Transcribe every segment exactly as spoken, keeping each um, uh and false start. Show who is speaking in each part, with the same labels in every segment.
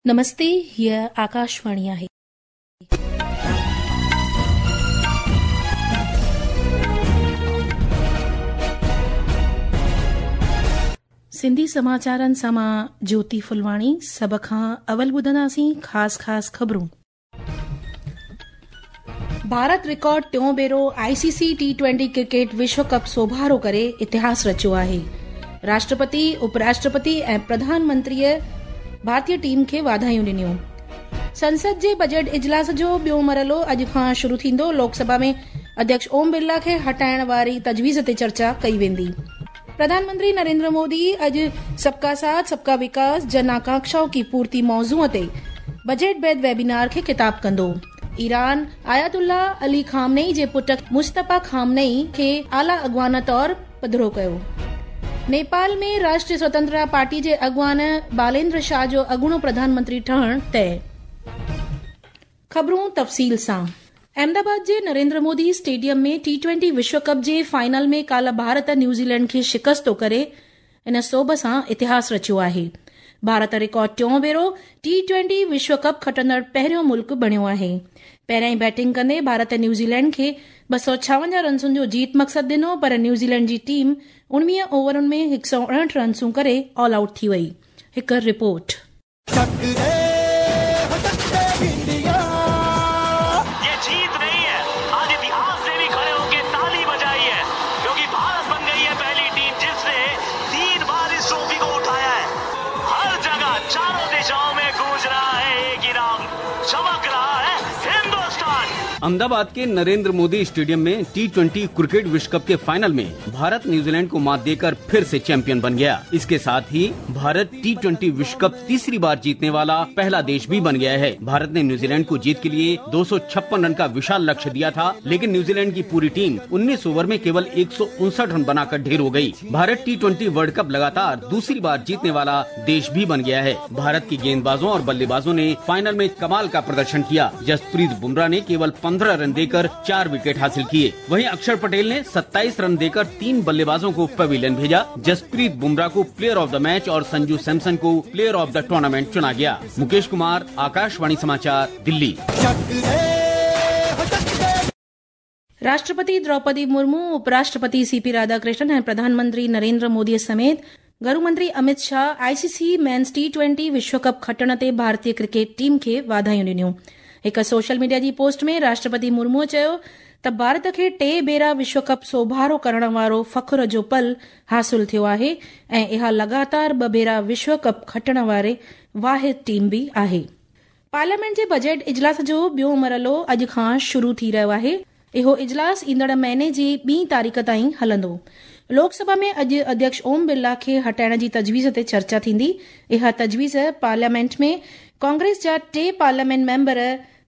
Speaker 1: नमस्ते, हीअ आकाशवाणी आहे. सिंधी समाचारनि सां मां ज्योति फुलवाणी. सभ खां अवल ॿुधंदासीं ख़ासि ख़ासि ख़बरूं. भारत रिकॉर्ड टियों भेरो I C C T twenty cricket विश्व कप सोभारो करे इतिहास रचियो आहे. राष्ट्रपति, उपराष्ट्रपति ऐं प्रधानमंत्रीअ भारतीय टीम खे वाधायूं ॾिनियूं. संसद जे बजट इजलास जो ॿियो मरहलो अॼु खां शुरू थींदो. लोकसभा में अध्यक्ष ओम बिरला खे हटाइण वारी तजवीज़ ते चर्चा कई वेंदी. प्रधानमंत्री नरेंद्र मोदी अॼु सबका साथ सबका विकास जन आकांक्षाओं की पूर्ति मौज़ूअ ते बजट बाद वेबिनार खे ख़िताब कंदो. ईरान आयतुल्ला अली खामनेई जे पुट मुस्तफ़ा खामनेई खे आला अॻवान तौर पधरो कयो. नेपाल में राष्ट्रीय स्वतंत्रता पार्टी जे अॻवान बालेंद्र शाह जो अॻूणो प्रधानमंत्री ठहण तय. ख़बरूं तफ़सील सां. अहमदाबाद जे नरेंद्र मोदी स्टेडियम में टी ट्वेंटी विश्व कप जे फाइनल में काल्ह भारत न्यूज़ीलैंड खे शिकस्तो करे इन सोभ सां इतिहास रचियो आहे. भारत रिकॉर्ड टियों भेरो टी ट्वेंटी विश्व कप खटंदड़ पहिरियों मुल्क बणियो आहे. पहिरियां बैटिंग कंदे भारत न्यूज़ीलैंड खे ॿ सौ छावंजाह रनसुनि जो जीत मक़सदु ॾिनो, पर न्यूज़ीलैंड जी टीम उणिवीह ओवरनि में हिकु सौ उणहठि रनसूं करे ऑल आउट थी वई. हिकु रिपोर्ट.
Speaker 2: अहमदाबाद के नरेंद्र मोदी स्टेडियम में टी ट्वेंटी क्रिकेट विश्व कप के फाइनल में भारत न्यूजीलैंड को मात देकर फिर से चैंपियन बन गया. इसके साथ ही भारत टी ट्वेंटी विश्व कप तीसरी बार जीतने वाला पहला देश भी बन गया है. भारत ने न्यूजीलैंड को जीत के लिए दो सौ छप्पन रन का विशाल लक्ष्य दिया था, लेकिन न्यूजीलैंड की पूरी टीम उन्नीस ओवर में केवल एक सौ उनसठ रन बनाकर ढेर हो गयी. भारत टी ट्वेंटी वर्ल्ड कप लगातार दूसरी बार जीतने वाला देश भी बन गया है. भारत की गेंदबाजों और बल्लेबाजों ने फाइनल में कमाल का प्रदर्शन किया. जसप्रीत बुमराह ने केवल पंद्रह रन देकर चार विकेट हासिल किए. वहीं अक्षर पटेल ने सत्ताईस रन देकर तीन बल्लेबाजों को पवेलियन भेजा. जसप्रीत बुमराह को प्लेयर ऑफ the match और संजू सैमसन को प्लेयर ऑफ the tournament चुना गया. मुकेश कुमार, आकाशवाणी समाचार, दिल्ली.
Speaker 1: राष्ट्रपति द्रौपदी मुर्मू, उपराष्ट्रपति सीपी राधाकृष्णन ऐं प्रधानमंत्री नरेंद्र मोदी समेत गृह मंत्री Amit Shah I C C men's T twenty विश्व कप खटण ते भारतीय क्रिकेट टीम खे वाधायूं ॾिनियूं. हिकु सोशल मीडिया जी पोस्ट में राष्ट्रपति मुर्मूअ चयो त भारत खे टे भेरा विश्व कप सोभारो करण वारो फ़ख्र जो पल हासिल थियो आहे ऐं इहा लगातार ॿ भेरा विश्व कप खटण वारी वाहिद टीम बि आहे. पार्लियामेंट जे बजट इजलास जो ॿियो मरहलो अॼु खां शुरू थी रहियो आहे. इहो इजलास ईंदड़ महीने जी ॿी तारीख़ ताईं हलंदो. लोकसभा में अॼु अध्यक्ष ओम बिरला खे हटाइण जी तजवीज़ ते चर्चा थींदी. इहा तजवीज़ पार्लियामेंट में कांग्रेस जा टे पार्लियामेंट मेंबर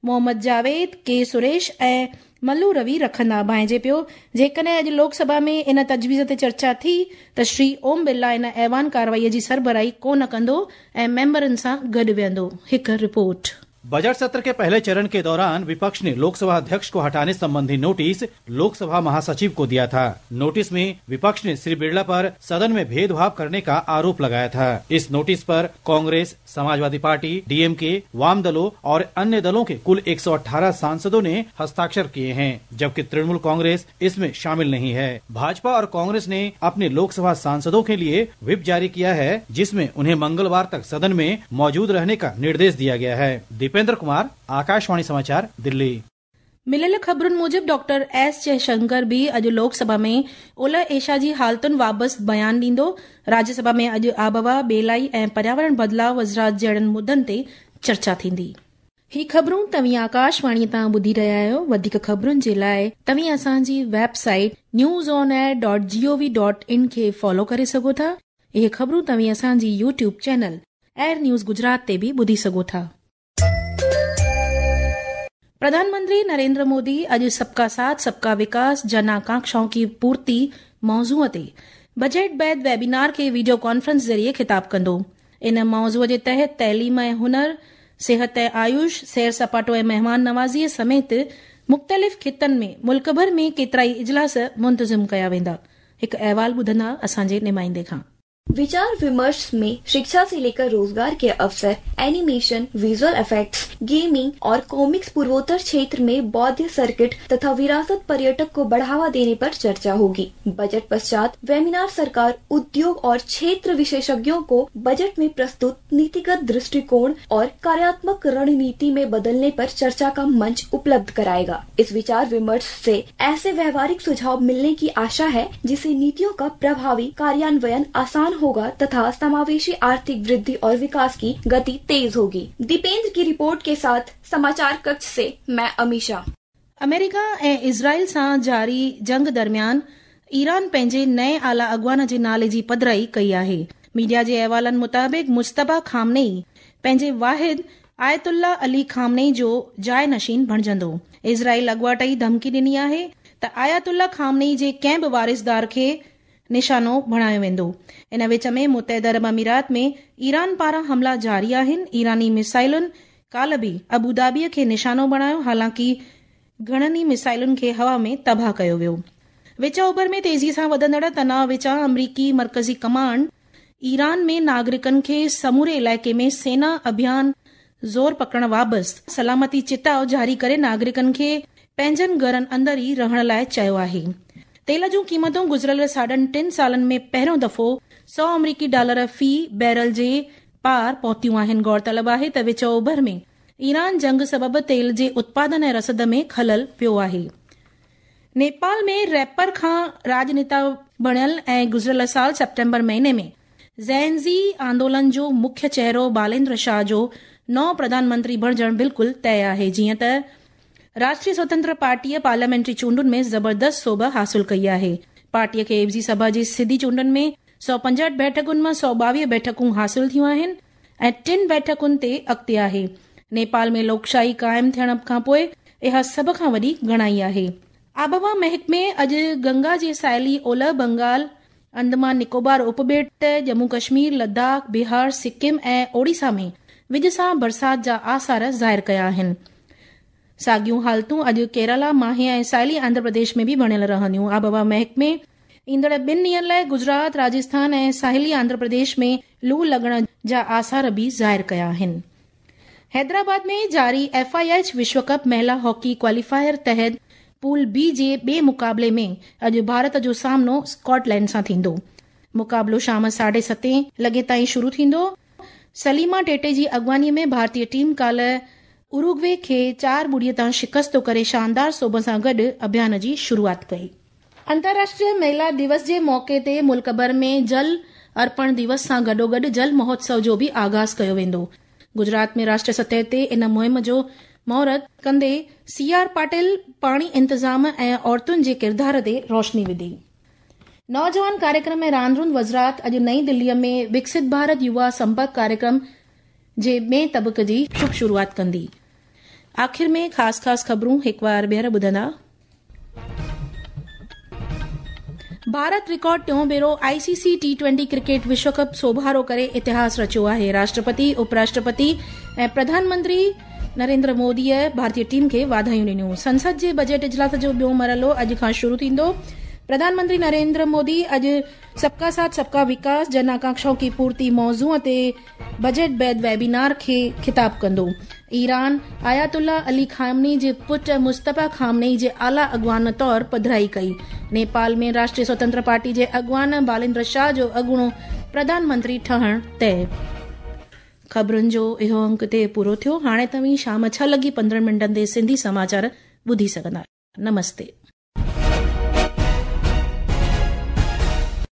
Speaker 1: मोहम्मद जावेद, के सुरेश ऐं मल्लू रवि रखंदा. भांइजे पियो जेकॾहिं अॼु लोकसभा में इन तजवीज़ ते चर्चा थी त श्री ओम बिरला इन ऐवान कार्रवाईअ जी सरबराही कोन कंदो ऐं मेंबरनि सां गॾु वेहंदो. हिकु रिपोर्ट.
Speaker 3: बजट सत्र के पहले चरण के दौरान विपक्ष ने लोकसभा अध्यक्ष को हटाने संबंधी नोटिस लोकसभा महासचिव को दिया था. नोटिस में विपक्ष ने श्री बिरला पर सदन में भेदभाव करने का आरोप लगाया था. इस नोटिस पर कांग्रेस, समाजवादी पार्टी, डीएमके, वाम दलों और अन्य दलों के कुल एक सौ अठारह सांसदों ने हस्ताक्षर किए हैं, जबकि तृणमूल कांग्रेस इसमें शामिल नहीं है. भाजपा और कांग्रेस ने अपने लोकसभा सांसदों के लिए व्हिप जारी किया है, जिसमें उन्हें मंगलवार तक सदन में मौजूद रहने का निर्देश दिया गया है. दीपेंद्र कुमार, आकाशवाणी समाचार, दिल्ली.
Speaker 1: मिलियल ख़बरुनि मूजिबि डॉक्टर एस जयशंकर बि अॼु लोकसभा में ओलह एशिया जी हालतुनि बाबति बयान ॾींदो. राज्यसभा में अॼु आबहवा, ॿेलाई ऐं पर्यावरण बदिलाव वज़रात जहिड़नि मुद्दनि ते चर्चा थींदी. ही ख़बरूं तव्हीं आकाशवाणी तां ॿुधी रहिया आहियो. वधीक ख़बरुनि जे लाइ तव्हीं असांजी website news on air dot G O V dot in खे फॉलो करे सघो था. इहे ख़बरूं तव्हीं असांजी YouTube channel air news Gujarat ते बि ॿुधी सघो था. प्रधानमंत्री नरेंद्र मोदी अॼु सबका साथ सबका विकास जन आकांक्षाओं की पूर्ति मौज़ूअ ते बजट बाद वेबिनार खे वीडियो कॉन्फ्रेंस ज़रिए ख़िताब कंदो. इन मौज़ूअ जे तहत तइलीम ऐं हुनर, सिहत ऐं आयुष, सैर सपाटो ऐं महिमान नवाज़ीअ समेत मुख़्तलिफ़ ख़ितनि में मुल्क भर में केतिरा ई इजलास मुंतज़िम कया वेंदा. हिकु अहवाल ॿुधंदा असांजे नुमाइंदे खां.
Speaker 4: विचार विमर्श में शिक्षा से लेकर रोजगार के अवसर, एनिमेशन, विजुअल इफेक्ट्स, गेमिंग और कॉमिक्स, पूर्वोत्तर क्षेत्र में बौद्ध सर्किट तथा विरासत पर्यटक को बढ़ावा देने पर चर्चा होगी। बजट पश्चात वेबिनार सरकार, उद्योग और क्षेत्र विशेषज्ञों को बजट में प्रस्तुत नीतिगत दृष्टिकोण और कार्यात्मक रणनीति में बदलने पर चर्चा का मंच उपलब्ध कराएगा। इस विचार विमर्श से ऐसे व्यवहारिक सुझाव मिलने की आशा है जिससे नीतियों का प्रभावी कार्यान्वयन आसान होगा तथा समावेशी आर्थिक वृद्धि और विकास की गति तेज होगी। दीपेंद्र की रिपोर्ट के साथ समाचार कक्ष से मैं अमीशा।
Speaker 1: अमेरिका ऐं इज़राइल सां जारी जंग दरमियान ईरान पंहिंजे नए आला अॻवान जे नाले जी पधराई कई आहे। मीडिया जे अहवालनि मुताबिक़ मुश्तबा खामनेई पंहिंजे वाहिद आयतुल्ला अली खामनेई जो जाइ नशीन बणिजंदो। इज़राइल अॻवाट ई धमकी ॾिनी आहे त आयतुल्ला खामनेई जे कंहिं बि वारिसदार खे निशानो बणायो वेंदो। इन विच में मुत्तहिदा अरब अमीरात में ईरान पारां हमला जारी आहिनि। ईरानी मिसाइलुनि काल्ह बि अबू धाबीअ खे निशानो बणायो, हालांकि घणनि ई मिसाइलुनि खे हवा में तबाह कयो वियो। विच ओभर में तेज़ी सां वधंदड़ तनाव विचां अमरीकी मर्कज़ी कमांड ईरान में नागरिकनि खे समूरे इलाइक़े में सेना अभियान ज़ोर पकड़ण वाबस्त सलामती चिताव जारी करे नागरिकनि खे पंहिंजनि घरनि अंदरि ई रहण लाइ चयो आहे। तेल जूं क़ीमतूं गुज़िरियल साढनि टिनि सालनि में पहिरियों दफ़ो सौ अमरीकी डॉलर फ़ी बैरल जे पार पहुतियूं आहिनि। गौरतलब आहे त विच ओभर में ईरान जंग सबबि तेल जे उत्पादन ऐं रसद में ख़लल पियो आहे। नेपाल में रैपर खां राजनेता बणियल ऐं गुज़िरियल साल सितंबर महीने में ज़ेनज़ी आंदोलन जो मुख्य चेहरो बालेंद्र शाह जो नओं प्रधानमंत्री बणिजणु बिल्कुलु तय आहे। जीअं त राष्ट्रीय स्वतंत्र पार्टीअ पार्लियामेंट्री चूंडुनि में ज़बरदस्त सोभ हासिल कई आहे। पार्टीअ खे एवज़ी सभा जी सिधी चूंडुनि में सौ पंजहठि बैठकुनि मां सौ ॿावीह बैठकूं हासिल थियूं आहिनि ऐं टिनि बैठकुनि ते अॻिते आहे। नेपाल में लोकशाही क़ाइमु थियण खां पोइ इहा सभ खां वॾी गणाई आहे। आबहवा महकमे अॼु गंगा जे साहिली ओलह बंगाल, अंडमान निकोबार उपॿेट, जम्मू कश्मीर, लद्दाख, बिहार, सिक्किम ऐं ओडिशा में विज सां बरसात जा आसार ज़ाहिर कया आहिनि। साॻियूं हालतूं अॼु केरला, माहे ऐं साहिली आंध्र प्रदेश में बि बणियल रहंदियूं। आबहवा महकमे ईंदड़ ॿिनि ॾींहंनि लाइ गुजरात, राजस्थान ऐं साहिली आंध्र प्रदेश में लू लॻण जा आसार बि ज़ाहिर कया आहिनि। हैदराबाद में जारी एफ I H विश्व कप महिला हॉकी क्वालीफायर तहत पूल बी जे ॿिए मुक़ाबले में अॼु भारत जो सामनो स्कॉटलैंड सां थींदो। मुक़ाबलो शाम साढे सतें लॻे ताईं शुरू थींदो। सलीमा टेटे जी अॻवानीअ में भारतीय टीम काल्ह उरुग्वे खे चार ॿुड़ीअ तां शिकस्त करे शानदार सोभ सां गॾु अभियान जी शुरूआत कई। अंतर्राष्ट्रीय महिला दिवस जे मौक़े ते मुल्क भर में जल अर्पण दिवस सां गॾोगॾु जल महोत्सव जो बि आगाज़ कयो वेंदो। गुजरात में राष्ट्रीय सतह ते इन मुहिम जो मुहूर्त कंदे सी आर पाटिल पाणी इंतज़ाम ऐं औरतुनि जे किरदार ते रोशनी विधी। नौजवान कार्यक्रम ऐं रांदि रूंदि वज़ारत अॼु नई दिल्लीअ में विकसित भारत युवा संपर्क कार्यक्रम जे ॿिए तबक़े जी शुभ शुरूआत कंदी। आख़िर में ख़ासि ख़ासि ख़बरूं हिकु वार ॿीहर ॿुधंदा। भारत रिकॉर्ड टियों भेरो I C C T twenty cricket विश्व कप सोभारो करे इतिहास रचियो आहे। राष्ट्रपति, उपराष्ट्रपति ऐं प्रधानमंत्री नरेंद्र मोदीअ भारतीय टीम खे वाधायूं ॾिनियूं। संसद जे बजट इजलास जो ॿियो मरहलो अॼु खां शुरू थींदो। प्रधानमंत्री नरेंद्र मोदी अॼु सबका साथ सबका विकास जन आकांक्षाओं की पूर्ति मौज़ू ते बजट बैद वेबिनार खे खिताब कंदो। ईरान आयतुल्ला अली खामनी जे पुट मुस्तफ़ा खामनेई जे आला अॻवान तौर पधराई कई। नेपाल में राष्ट्रीय स्वतंत्र पार्टी जे अॻवान बालेंद्र शाह जो अॻूणो प्रधानमंत्री ठहण तय। ख़बरुनि जो इहो अंक ते पूरो थियो। हाणे तव्हीं शाम छह लॻी पंद्रहं मिंटनि ते सिंधी समाचार ॿुधी सघंदा। नमस्ते।